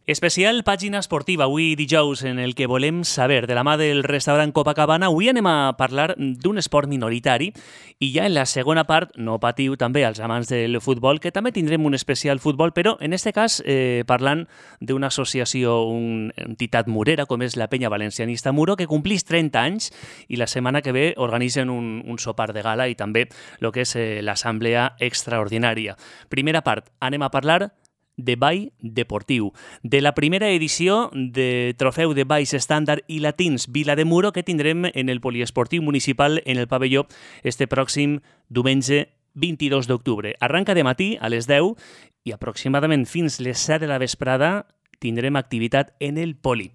Especial pàgina esportiva, avui dijous, en el que volem saber, de la mà del restaurant Copacabana. Avui anem a parlar d'un esport minoritari i ja en la segona part, no patiu també als amants del futbol, que també tindrem un especial futbol, però en este cas parlant d'una associació, una entitat murera, com és la Penya Valencianista Muro, que complís 30 anys i la setmana que ve organitzen un sopar de gala i també el que és l'assemblea extraordinària. Primera part, anem a parlar de ball deportiu, de la primera edició de Trofeu de Balls Estàndard i Latins Vila de Muro que tindrem en el Poliesportiu Municipal en el pavelló este pròxim diumenge 22 d'octubre. Arranca de matí a les 10 i aproximadament fins les 7 de la vesprada tindrem activitat en el Poli.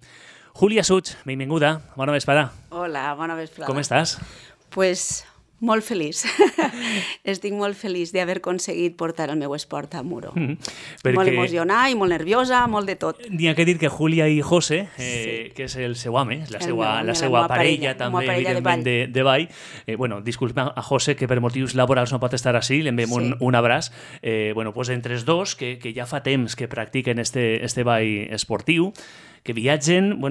Júlia Suig, benvinguda, bona vesprada. Hola, bona vesprada. Com estàs? Pues molt feliç. Estic molt feliç d'haver aconseguit portar el meu esport a Muro. Perquè... Molt emocionada i molt nerviosa, molt de tot. N'hi ha que dir que Júlia i José, que és el seu home, la seva parella també, evidentment, de ball. Disculpa a José, que per motius laborals no pot estar així, li enviem un abraç. Pues entre els dos, que ja fa temps que practiquen este ball esportiu, que viatgen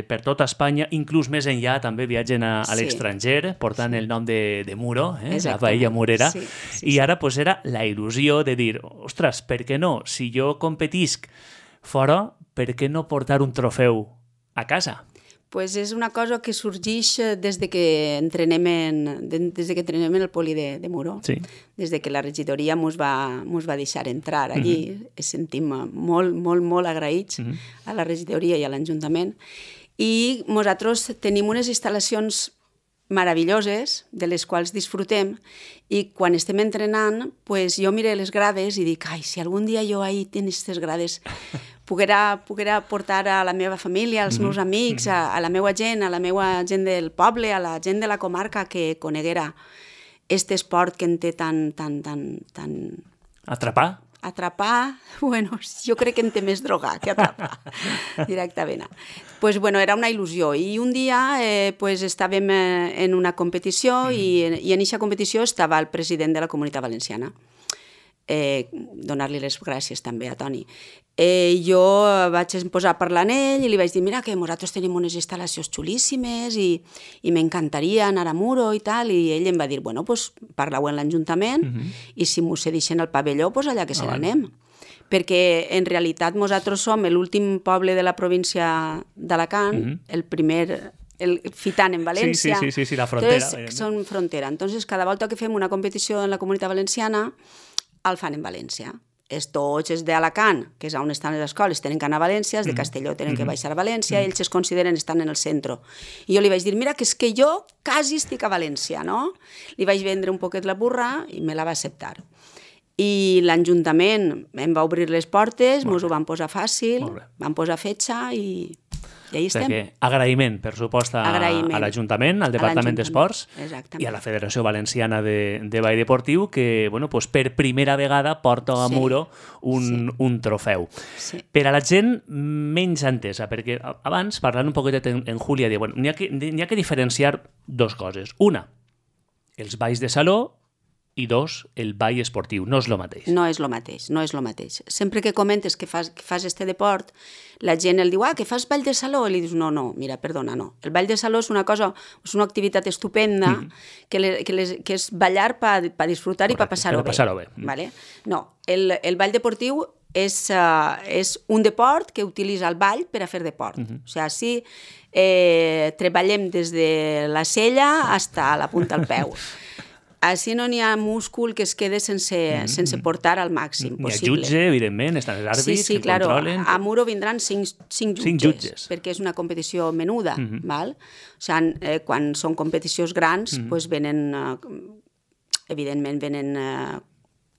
per tota Espanya, inclús més enllà, també viatgen a l'estranger, portant el nom de Muro, la paella murera, i ara era la il·lusió de dir, ostres, per què no? Si jo competisc fora, per què no portar un trofeu a casa? Pues és una cosa que sorgeix des de que entrenem en el Poli de Muro. Sí. Des de que la regidoria mos va deixar entrar allí. Ens sentim molt, molt, molt agraïts a la regidoria i a l'Ajuntament. I nosaltres tenim unes instal·lacions meravelloses, de les quals disfrutem, i quan estem entrenant, pues, jo miro les grades i dic, ai, si algun dia jo ahí tenc aquestes grades, poguera portar a la meva família, als meus amics, a la meva gent, gent del poble, a la gent de la comarca que coneguera aquest esport que en té tan... Atrapar, jo crec que en té més drogar que atrapar, directament. Era una il·lusió. I un dia estàvem en una competició i en aquesta competició estava el president de la Comunitat Valenciana. Donar-li les gràcies també a Toni. Jo vaig posar a parlar amb ell i li vaig dir, mira que nosaltres tenim unes instal·lacions xulíssimes i m'encantaria anar a Muro i tal, i ell em va dir, parla-ho en l'Ajuntament i si m'ho cedeixen al pavelló, allà que se n'anem. Perquè en realitat nosaltres som l'últim poble de la província d'Alacant, el primer... fitant en València. Sí, la frontera. Són frontera. Entonces, cada volta que fem una competició en la Comunitat Valenciana, el fan en València. Tots els d'Alacant, que és on estan les escoles, tenen que anar a València, els de Castelló tenen que baixar a València, ells es consideren estan en el centre. I jo li vaig dir, mira, que és que jo quasi estic a València, no? Li vaig vendre un poquet la burra i me la va acceptar. I l'Ajuntament em va obrir les portes, ens ho van posar fàcil, van posar fetge i ahí estem. Agraïment, per supost, a l'Ajuntament, al Departament d'Esports i a la Federació Valenciana de Ball Deportiu, que per primera vegada porta a Muro un trofeu. Per a la gent menys entesa, perquè abans, parlant un poquet en Júlia, n'hi ha que diferenciar dues coses. Una, els balls de saló, i dos, el ball esportiu. No és el mateix. No és el mateix. Sempre que comentes que fas este deport, la gent el diu, que fas ball de saló, i li dius, no, mira, perdona, no. El ball de saló és una cosa, és una activitat estupenda, que és ballar per disfrutar i per passar-ho bé. Vale? No, el ball deportiu és un deport que utilitza el ball per a fer deport. O sigui, així treballem des de la cella fins a la punta del peu. Així no n'hi ha múscul que es quede sense portar al màxim possible. N'hi ha jutge, evidentment, estan els àrbits que controlen. A Muro vindran 5 jutges, perquè és una competició menuda. O sigui, quan són competicions grans, venen, evidentment,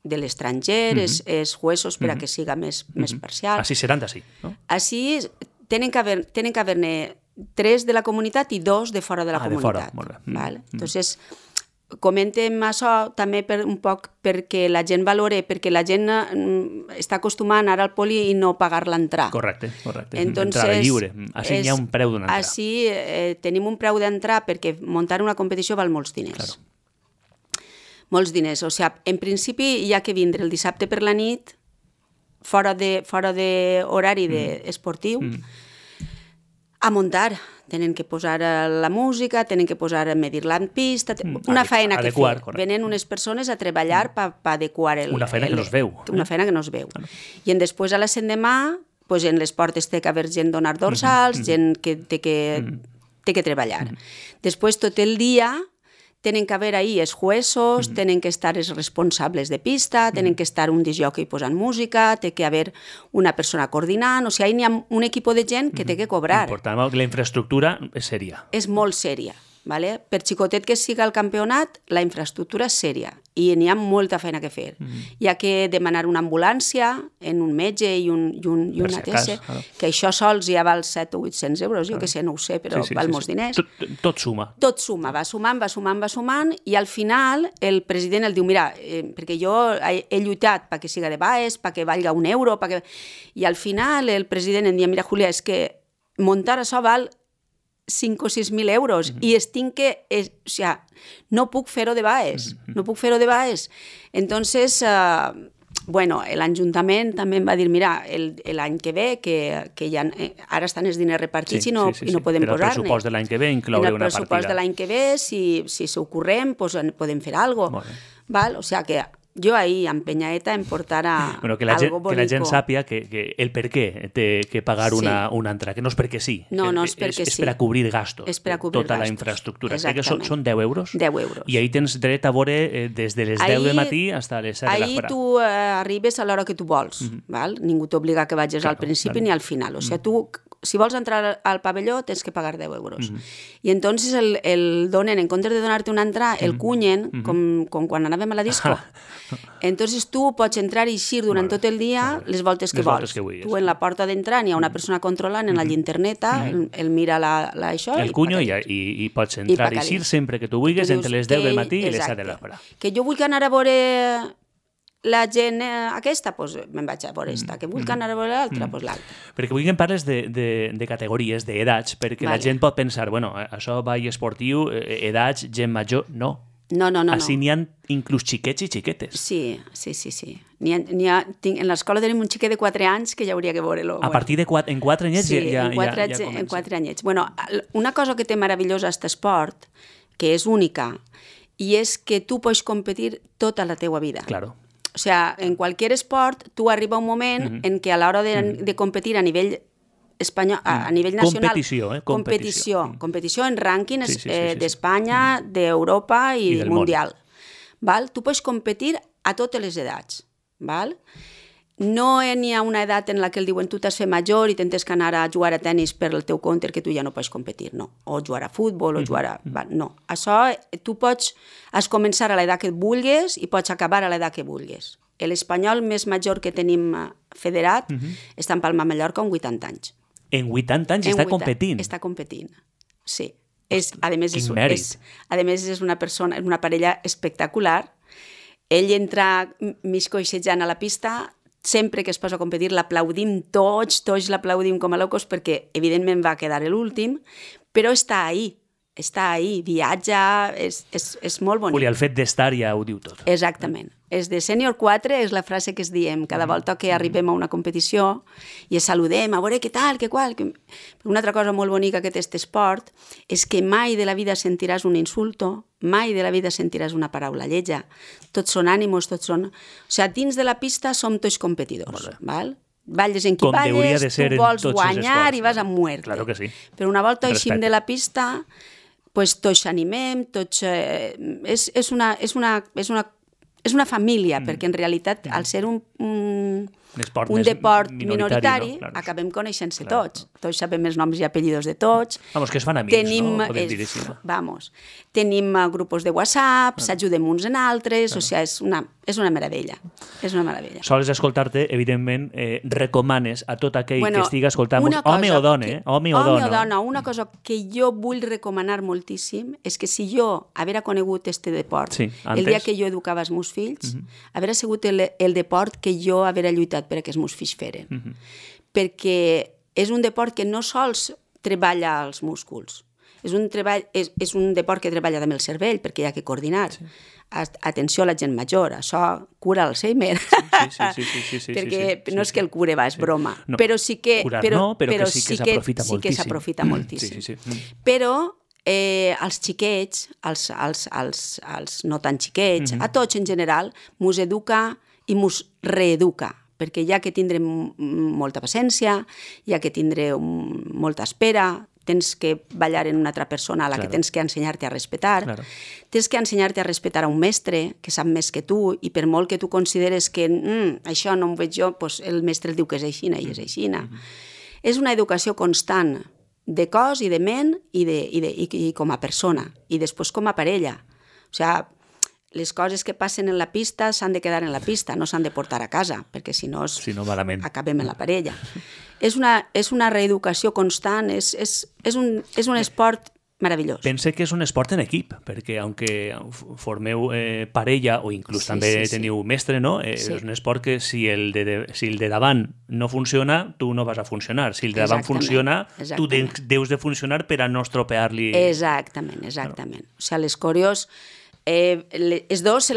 de l'estranger, és jueços per a que siga més parcial. Així seran d'ací, no? Així tenen que haver-ne 3 de la comunitat i 2 de fora de la comunitat. Entonces, comentem això també un poc perquè la gent valore, perquè la gent està acostumada a anar al poli i no pagar l'entrar. Correcte. Entrada lliure. Així hi ha un preu d'una entrada. Així tenim un preu d'entrar perquè muntar una competició val molts diners. Molts diners. O sigui, en principi hi ha que vindre el dissabte per la nit, fora d'horari esportiu, a muntar. Tenen que posar la música, tenen que posar medir la pista, una feina que fer. Venen unes persones a treballar per adequar una feina que no es veu. Una feina que no es veu. I després a l'endemà, en les portes té que haver gent donar dorsals, gent que té que treballar. Després tot el dia tenen que haver ahí els jueços, tenen que estar els responsables de pista, tenen que estar un discjòquei posant música, té que haver una persona coordinant, o sigui, hi ha un equip de gent que té que cobrar. Important, la infraestructura és sèria. És molt sèria. Vale? Per xicotet que siga el campionat, la infraestructura és sèria i n'hi ha molta feina que fer. Hi ha que demanar una ambulància en un metge i una TS, que això sols ja val 700 o 800 euros, jo que sé, no ho sé, però val molts diners. Tot suma. Tot suma, va sumant, i al final el president el diu, mira, perquè jo he lluitat perquè siga de baix, perquè valga un euro, i al final el president em diu, mira, Julia, és que muntar això val 5 o 6.000 euros i no puc fer-ho de baix. Entonces, l'Ajuntament també em va dir, mira, l'any que ve, que ja, ara estan els diners repartits i no podem posar-ne. Però el pressupost de l'any que ve incloure una partida. En el pressupost de l'any que ve, si s'ho correm, podem fer alguna cosa. O sigui que jo ahir, amb Penyaeta, em portara que la gent sàpia que el per què té que pagar una entrada, que no és perquè sí. No és perquè sí. És per a cobrir gastos. És per a cobrir tota gastos. La infraestructura. Exactament. Són 10 euros? 10 euros. I ahir tens dret a veure des de les 10 del matí fins a les 7 de la Ahir tu arribes a l'hora que tu vols. Ningú t'obliga que vagis al principi ni al final. O sigui, tu, si vols entrar al pavelló, tens que pagar 10 euros. I entonces el donen, en comptes de donar-te una entrada, el cunyen, com quan anàvem a la disco. Entonces tu pots entrar i eixir durant tot el dia les voltes que vols. Tu en la porta d'entrar hi ha una persona controlant en la llinterneta, el mira això... El cunyo i pots entrar i eixir sempre que tu vulguis entre les 10 del matí i les 7 de la hora. Que jo vull anar a veure la gent aquesta, doncs me'n vaig a veure aquesta. Que vull anar a veure l'altra, doncs l'altra. Perquè vull que em parles de categories, d'edats, perquè la gent pot pensar, bueno, això ball esportiu, edats, gent major... No. No. Així n'hi ha inclús xiquets i xiquetes. Sí. En l'escola tenim un xiquet de 4 anys que ja hauria que veure-lo. A partir de 4 anyets ja comença. En 4 anyets. Bueno, una cosa que té meravellosa aquest esport, que és única, i és que tu pots competir tota la teua vida. Claro. O sigui, en qualsevol esport, tu arriba un moment en què a l'hora de competir a nivell espanyol, a nivell nacional... Competició en rànquings d'Espanya, d'Europa i mundial. Tu pots competir a totes les edats. No n'hi ha una edat en la que el diuen tu t'has fet major i tens que anar a jugar a tennis per el teu compte que tu ja no pots competir, no. O jugar a futbol, o jugar a... No. Això tu pots començar a l'edat que vulguis i pots acabar a l'edat que vulguis. L'espanyol més major que tenim federat està en Palma de Mallorca amb 80 anys. En 80 anys està competint? Està competint, sí. A més, és una persona, una parella espectacular. Ell entra mig coixejant a la pista, sempre que es posa a competir l'aplaudim tots l'aplaudim com a locos perquè evidentment va quedar l'últim, però està ahí, viatja, és molt bonic. El fet d'estar ja ho diu tot. Exactament. És de sènior 4, és la frase que es diem cada volta que arribem a una competició i es saludem, a veure què tal, què qual. Una altra cosa molt bonica que té aquest esport és que mai de la vida sentiràs un insulto, mai de la vida sentiràs una paraula lletja. Tots són ànimos, tots són... O sigui, dins de la pista som tots competidors, val? Balles en qui balles, tu vols guanyar i vas a muerte. Claro que sí. Però una volta eixim de la pista, pues tots s'animem, tots... És una família, perquè en realitat, al ser un deport minoritari, acabem coneixent-se tots. Tots sabem els noms i apellidos de tots. Vamos, que es fan amics, no? Podem dir així. Vamos. Tenim grupos de WhatsApp, s'ajudem uns en altres, o sigui, és una meravella. És una meravella. Sols escoltar-te, evidentment, recomanes a tot aquell que estigui escoltant-nos, home o dona. Una cosa que jo vull recomanar moltíssim és que si jo haver conegut este deport, el dia que jo educava els meus fills, haver sigut el deport que jo haver lluitat perquè els meus fills feren. Perquè és un deport que no sols treballa els músculs, És un deport que treballa amb el cervell, perquè hi ha que coordinar. Sí. Atenció a la gent major, això cura Alzheimer. Sí. Perquè no és que el cure, és broma. No, però sí que... Curar no, però que sí que s'aprofita moltíssim. Sí que s'aprofita moltíssim. Sí. Però els xiquets, els no tan xiquets, a tots en general, mos educa i mos reeduca, perquè hi ha que tindre molta paciència, hi ha que tindre molta espera, tens que ballar en una altra persona a la que tens que ensenyar-te a respetar, tens que ensenyar-te a respetar a un mestre que sap més que tu, i per molt que tu consideres que això no ho veig jo, doncs el mestre el diu que és aixina i és aixina. És una educació constant de cos i de ment i com a persona, i després com a parella. O sigui, les coses que passen en la pista s'han de quedar en la pista, no s'han de portar a casa, perquè si no acabem en la parella. És una reeducació constant, és un esport meravellós. Pense que és un esport en equip, perquè aunque formeu parella o inclús també teniu mestre, no? És un esport que si el de davant no funciona, tu no vas a funcionar. Si el de davant funciona, tu deus de funcionar per a no estropear-li... Exactament. O sigui, les coreos... els dos se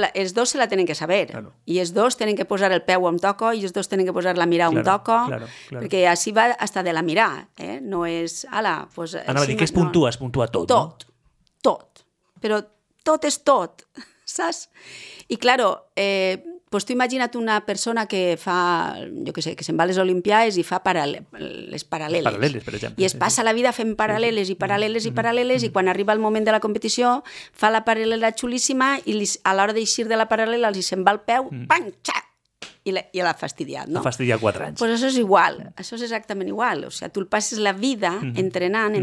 la tenen que saber, i els dos tenen que posar el peu on toca i els dos tenen que posar la mirada on toca, perquè així va hasta de la mirada, no és... Anava a dir que es puntua tot, no? Tot, però tot és tot, saps? I, claro, pues tu imagina't una persona que fa, jo què sé, que se'n va a les Olimpiades i fa les paral·leles. Per exemple. I es passa la vida fent paral·leles, i quan arriba el moment de la competició fa la paral·lela xulíssima i a l'hora d'eixir de la paral·lela els se'n va el peu, pam, xac! I l'ha fastidiat, no? L'ha fastidiat 4 anys. Pues això és igual, això és exactament igual. O sigui, tu el passes la vida entrenant,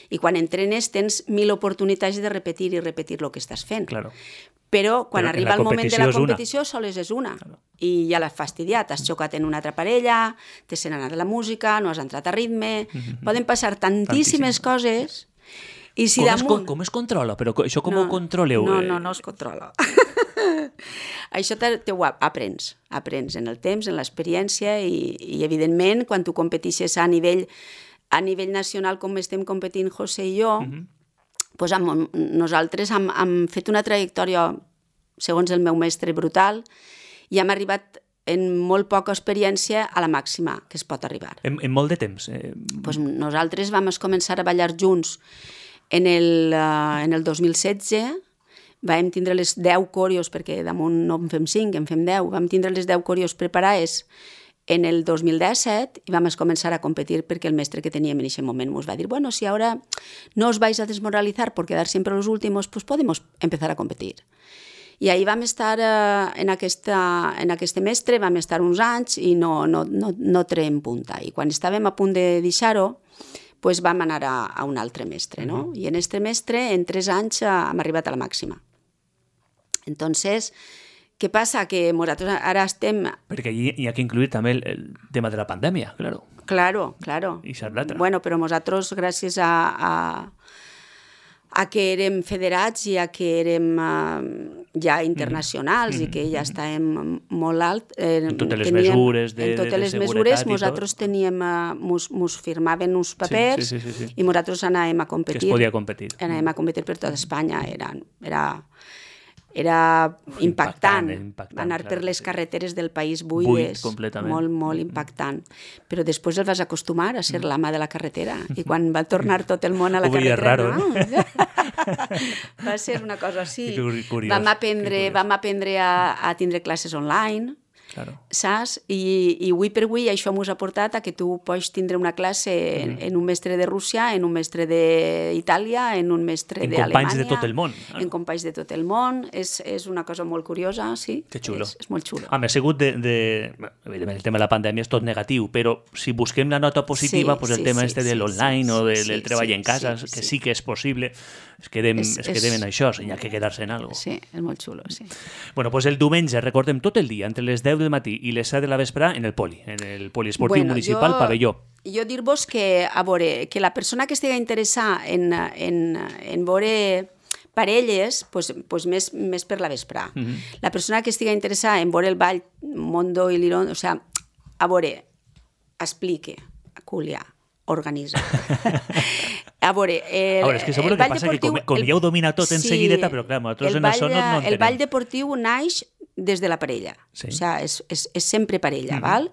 i quan entrenes tens 1000 oportunitats de repetir el que estàs fent. Claro. Però quan arriba el moment de la competició sols és una. I ja l'has fastidiat, has xocat en una altra parella, te se n'ha anat la música, no has entrat a ritme... Poden passar tantíssimes coses... I si com es controla? Però això com ho controleu? No es controla. Això ho aprens en el temps, en l'experiència, i evidentment quan tu competixes a nivell nacional com estem competint José i jo, pues nosaltres hem fet una trajectòria, segons el meu mestre, brutal, i hem arribat en molt poca experiència a la màxima que es pot arribar. En molt de temps? Pues nosaltres vam començar a ballar junts en el 2016, vam tindre les 10 coreos, perquè damunt no en fem 5, en fem 10, vam tindre les 10 coreos preparades en el 2017 i vam començar a competir perquè el mestre que teníem en aquest moment ens va dir, bueno, si ahora no os vais a desmoralizar por quedar siempre los últimos, pues podemos empezar a competir. I ahí vam estar en aquest mestre, vam estar uns anys i no traiem punta. I quan estàvem a punt de deixar-ho, pues vam anar a un altre mestre, no? I en aquest mestre, en 3 anys, hem arribat a la màxima. Entonces, què passa? Que nosaltres ara estem... Perquè allí hi ha que incluir també el tema de la pandèmia, claro. Claro. I ser l'altre. Bueno, però nosaltres, gràcies a que érem federats i a que érem ja internacionals i que ja estàvem molt alt... En totes les mesures de seguretat. En totes les mesures, nosaltres teníem... Mos firmaven uns papers i nosaltres anàvem a competir. Que es podia competir. Anàvem a competir per tota Espanya. Era impactant. Anar per les carreteres del país buides. Molt, molt impactant. Però després el vas acostumar a ser l'ama de la carretera. I quan va tornar tot el món a la carretera... Va ser una cosa així. Vam aprendre a tindre classes online, saps? I avui per avui això ens ha portat a que tu pots tindre una classe en un mestre de Rússia, en un mestre d'Itàlia, en un mestre d'Alemanya. En companys de tot el món. En companys de tot el món. És una cosa molt curiosa, sí. Que xulo. És molt xulo. Ha sigut evidentment, el tema de la pandèmia és tot negatiu, però si busquem la nota positiva, el tema de l'online o del treball en casa, que sí que és possible, es quedem en això, hi ha que quedar-se en alguna cosa. Sí, és molt xulo, sí. Bueno, doncs el diumenge, recordem, tot el dia, entre les 10 del matí i les 7 de la vesprà, en el poliesportiu municipal Pavelló. Jo dir-vos que, a veure, que la persona que estigui interessada en veure parelles, pues més per la vesprà. La persona que estigui interessada en veure el ball Mondo i l'Iron, o sigui, a veure, explique, Julià, organitzat. A veure, és que seguro que passa que com ja ho domina tot en seguideta, però clar, nosaltres en això no entenem. El ball deportiu naix des de la parella, o sigui, és sempre parella, val?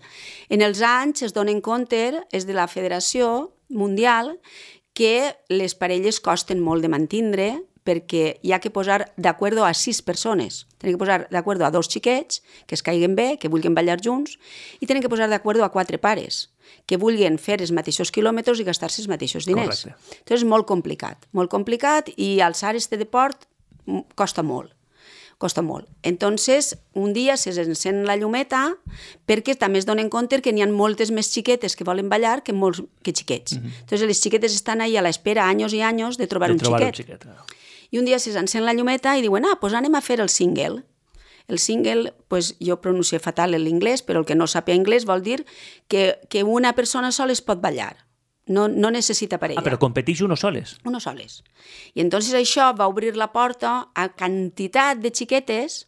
En els anys es donen compte, és de la Federació Mundial, que les parelles costen molt de mantindre perquè hi ha que posar d'acord a 6 persones. Tenen que posar d'acord a 2 xiquets que es caiguen bé, que vulguin ballar junts, i tenen que posar d'acord a 4 pares que vulguin fer els mateixos quilòmetres i gastar-se els mateixos diners. Correcte. Entonces és molt complicat, i alçar este deport costa molt. Entonces, un dia s'encén la llumeta perquè també es donen compte que n'hi ha moltes més xiquetes que volen ballar que xiquets. Entonces, les xiquetes estan ahí a l'espera anys i anys de trobar un xiquet. I un dia s'encén la llumeta i diuen, pues anem a fer el single. El single, pues jo pronuncio fatal en l'inglès, però el que no sàpiga anglès vol dir que una persona sola es pot ballar. No necessita parella. Però competeix uno soles. Uno soles. I entonces això va obrir la porta a quantitat de xiquetes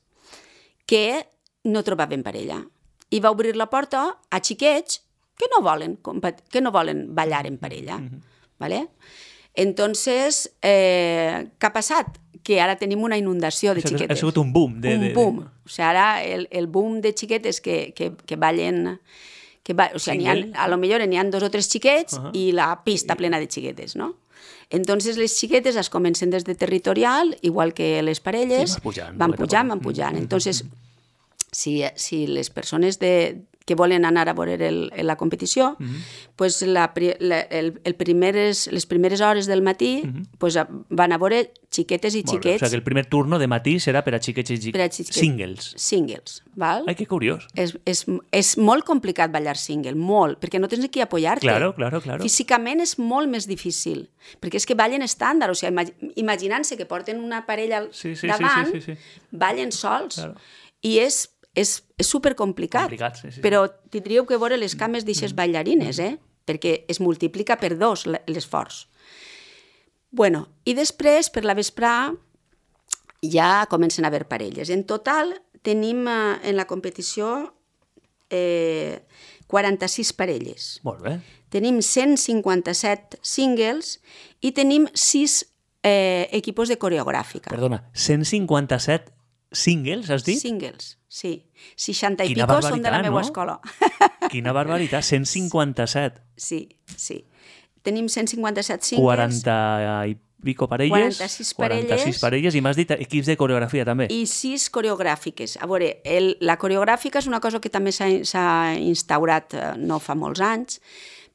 que no trobaven parella. I va obrir la porta a xiquets que no volen ballar en parella. ¿Vale? Entonces, què ha passat? Que ara tenim una inundació de xiquetes. Ha sigut un boom. Un boom. O sigui, ara el boom de xiquetes que ballen... O sigui, a lo millor n'hi ha 2 o 3 xiquets i la pista plena de xiquetes, no? Entonces les xiquetes es comencen des de territorial, igual que les parelles, van pujant. Entonces, si les persones que volen anar a veure la competició, pues les primeres hores del matí pues van a veure xiquetes i xiquets. O sigui que el primer turno de matí serà per a xiquets i xiquets. Singles. Singles, val? Ai, que curiós. És molt complicat ballar single, molt, perquè no tens aquí apoyar-te. Claro. Físicament és molt més difícil, perquè és que ballen estàndard, o sigui, imaginant-se que porten una parella davant, ballen sols, i és supercomplicat, però tindríeu que veure les cames d'aixes ballarines, perquè es multiplica per 2 l'esforç. Bueno, i després, per la vesprà, ja comencen a haver parelles. En total, tenim en la competició 46 parelles. Molt bé. Tenim 157 singles i tenim 6 equipos de coreogràfica. Perdona, 157 singles, has dit? Singles, sí. 60 i pico són de la meva escola. Quina barbaritat, 157. Sí. Tenim 157 singles. 40 i pico parelles. 46 parelles i m'has dit equips de coreografia també. I 6 coreogràfiques. A veure, la coreogràfica és una cosa que també s'ha instaurat no fa molts anys,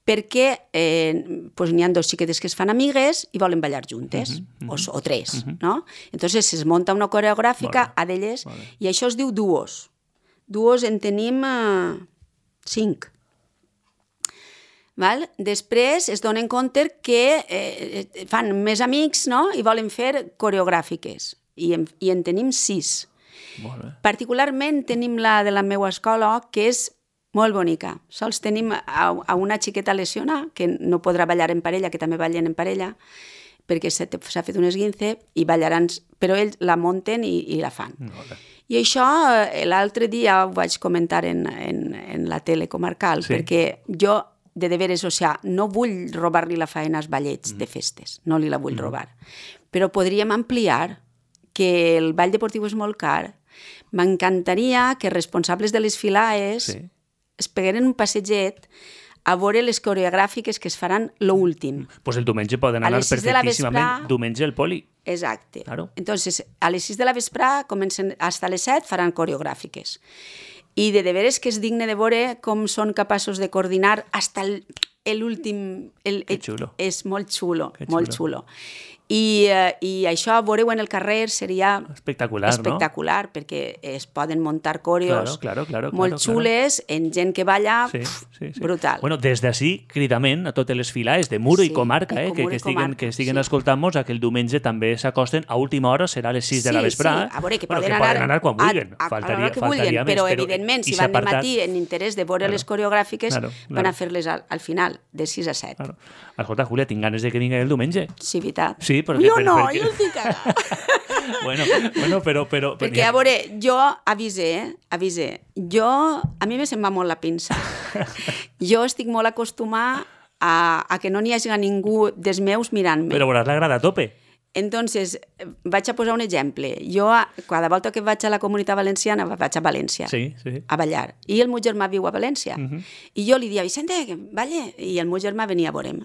perquè n'hi ha 2 xiquetes que es fan amigues i volen ballar juntes, o 3, no? Entonces es monta una coreogràfica a d'elles i això es diu duos. Duos en tenim 5. Val? Després es donen compte que fan més amics, no? I volen fer coreogràfiques i en tenim 6. Particularment tenim la de la meva escola, que és molt bonica. Sols tenim a una xiqueta lesionada, que no podrà ballar en parella, que també ballen en parella, perquè s'ha fet un esguince i ballaran, però ells la munten i la fan. I això l'altre dia ho vaig comentar en la tele comarcal, perquè jo, de veres, o sigui, no vull robar-li la feina als ballets de festes, no li la vull robar, però podríem ampliar que el ball deportiu és molt car. M'encantaria que responsables de les filaes es pegueren un passeget a veure les coreogràfiques que es faran l'últim. Pues el diumenge poden anar perfectíssimament. Diumenge el poli. Exacte. Entonces, a les 6 de la vesprà comencen, fins a les 7 faran coreogràfiques. I de veres que és digne de veure com són capaços de coordinar fins l'últim... Que xulo. És molt xulo, molt xulo. I això, veure-ho en el carrer seria espectacular, perquè es poden muntar coreos molt xules en gent que balla, brutal. Bueno, des d'ací, cridament a totes les filaes de Muro i comarca, que estiguen escoltant-nos, que el diumenge també s'acosten, a última hora serà a les 6 de la vesprà. A veure, que poden anar quan vulguin. A l'hora que vulguin, però evidentment, si van de matí en interès de veure les coreogràfiques, van a fer-les al final, de 6 a 7. Escolta, Júlia, tinc ganes de que vingui el diumenge. Sí, veritat. Jo no, jo estic cagada. Bueno, però... Perquè, a veure, jo avise. A mi me se'n va molt la pinça. Jo estic molt acostumada a que no n'hi hagi ningú dels meus mirant-me. Però veuràs la grada a tope. Entonces, vaig a posar un exemple. Jo, cada volta que vaig a la Comunitat Valenciana, vaig a València, a ballar. I el meu germà viu a València. I jo li dia, Vicente, balle. I el meu germà venia a veure'm.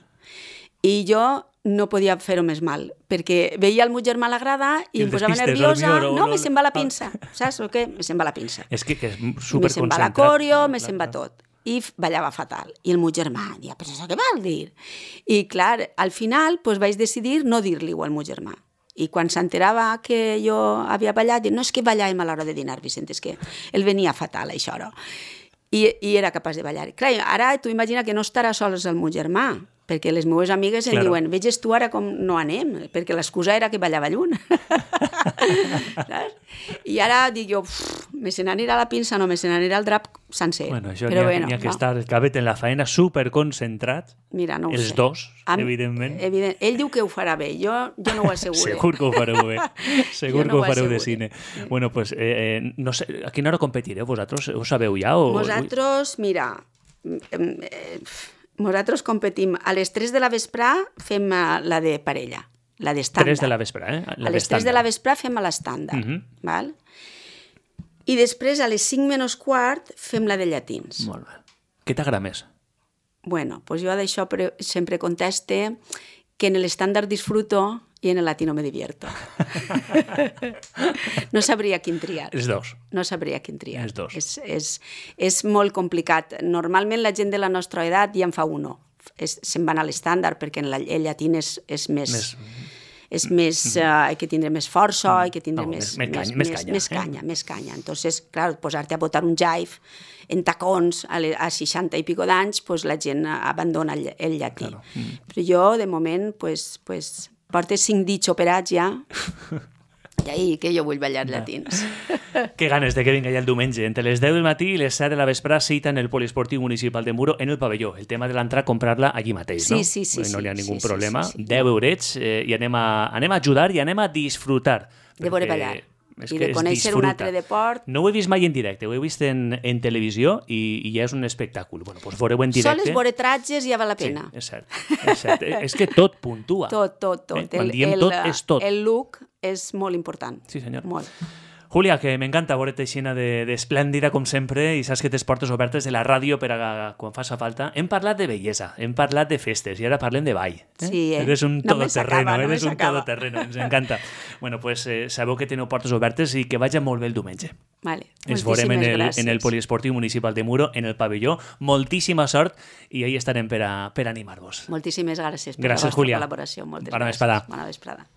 I jo no podia fer-ho més mal, perquè veia el meu germà a la grada i em posava nerviosa. No, me se'n va la pinça. Saps o què? Me se'n va la pinça. És que és superconcentrat. Me se'n va la coreo, me se'n va tot. I ballava fatal. I el meu germà deia, però això què vol dir? I clar, al final vaig decidir no dir-li-ho al meu germà. I quan s'enterava que jo havia ballat, no és que ballàvem a l'hora de dinar, Vicent, és que el venia fatal, això. No? I era capaç de ballar. Clar, ara tu imagina que no estarà sols el meu germà, perquè les meves amigues em diuen, veges tu ara com no anem, perquè l'excusa era que ballava lluny. I ara dic jo, me se n'anirà la pinça, no, me se n'anirà el drap sencer. Bueno, això n'hi ha que estar el cabet en la faena superconcentrat. Mira, no ho sé. Els dos, evidentment. Ell diu que ho farà bé, jo no ho asseguro. Segur que ho fareu bé. Segur que ho fareu de cine. Bueno, pues, no sé, a quina hora competireu vosaltres? Ho sabeu ja? Nosaltres, mira, nosaltres competim a les 3 de la vesprà, fem la de parella, la d'estàndard. 3 de la vesprà, a les 3 de la vesprà fem a l'estàndard, val? I després, a les 5 menys quart, fem la de llatins. Molt bé. Què t'agrada més? Bueno, pues jo d'això sempre conteste que en l'estàndard disfruto i en el latino me divierto. No sabria quin triar. Els dos. No sabria quin triar. Els dos. És molt complicat. Normalment la gent de la nostra edat ja en fa uno. Se'n van a l'estàndard perquè el llatí és més... És més, hay que tindre més força, hay que tindre més canya. Entonces, clar, posar-te a botar un jive en tacons a 60 i pico d'anys, pues la gent abandona el llatí. Claro. Però jo, de moment, porto 5 dits operats ja, i ahí que jo vull ballar llatins. Que ganes de que vinga ja el diumenge. Entre les 10 del matí i les 7 de la vesprà cita en el Poliesportiu Municipal de Muro en el pavelló. El tema de l'entrar, comprar-la allí mateix, no? Sí. No hi ha ningú problema. 10 eurets i anem a ajudar i anem a disfrutar. De veure ballar. I de conèixer un altre deport. No ho he vist mai en directe, ho he vist en televisió i ja és un espectacle. Bueno, doncs veureu en directe. Sols veure tratges ja val la pena. Sí, és cert. És que tot puntua. Tot. Quan diem tot, és tot. El look és molt important. Sí, senyor. Molt. Julia, que m'encanta veure't aixina d'esplèndida, com sempre, i saps que tens portes obertes de la ràdio per a quan faça falta. Hem parlat de bellesa, hem parlat de festes, i ara parlem de ball. Sí, Eres un todoterreno, todoterreno, ens encanta. Bueno, pues sabeu que teniu portes obertes i que vagi molt bé el diumenge. Vale. Ens veurem en el Poliesportiu Municipal de Muro, en el pavelló. Moltíssima sort i ahí estarem per animar-vos. Moltíssimes gràcies per la vostra col·laboració. Moltes gràcies. Bona vesprada.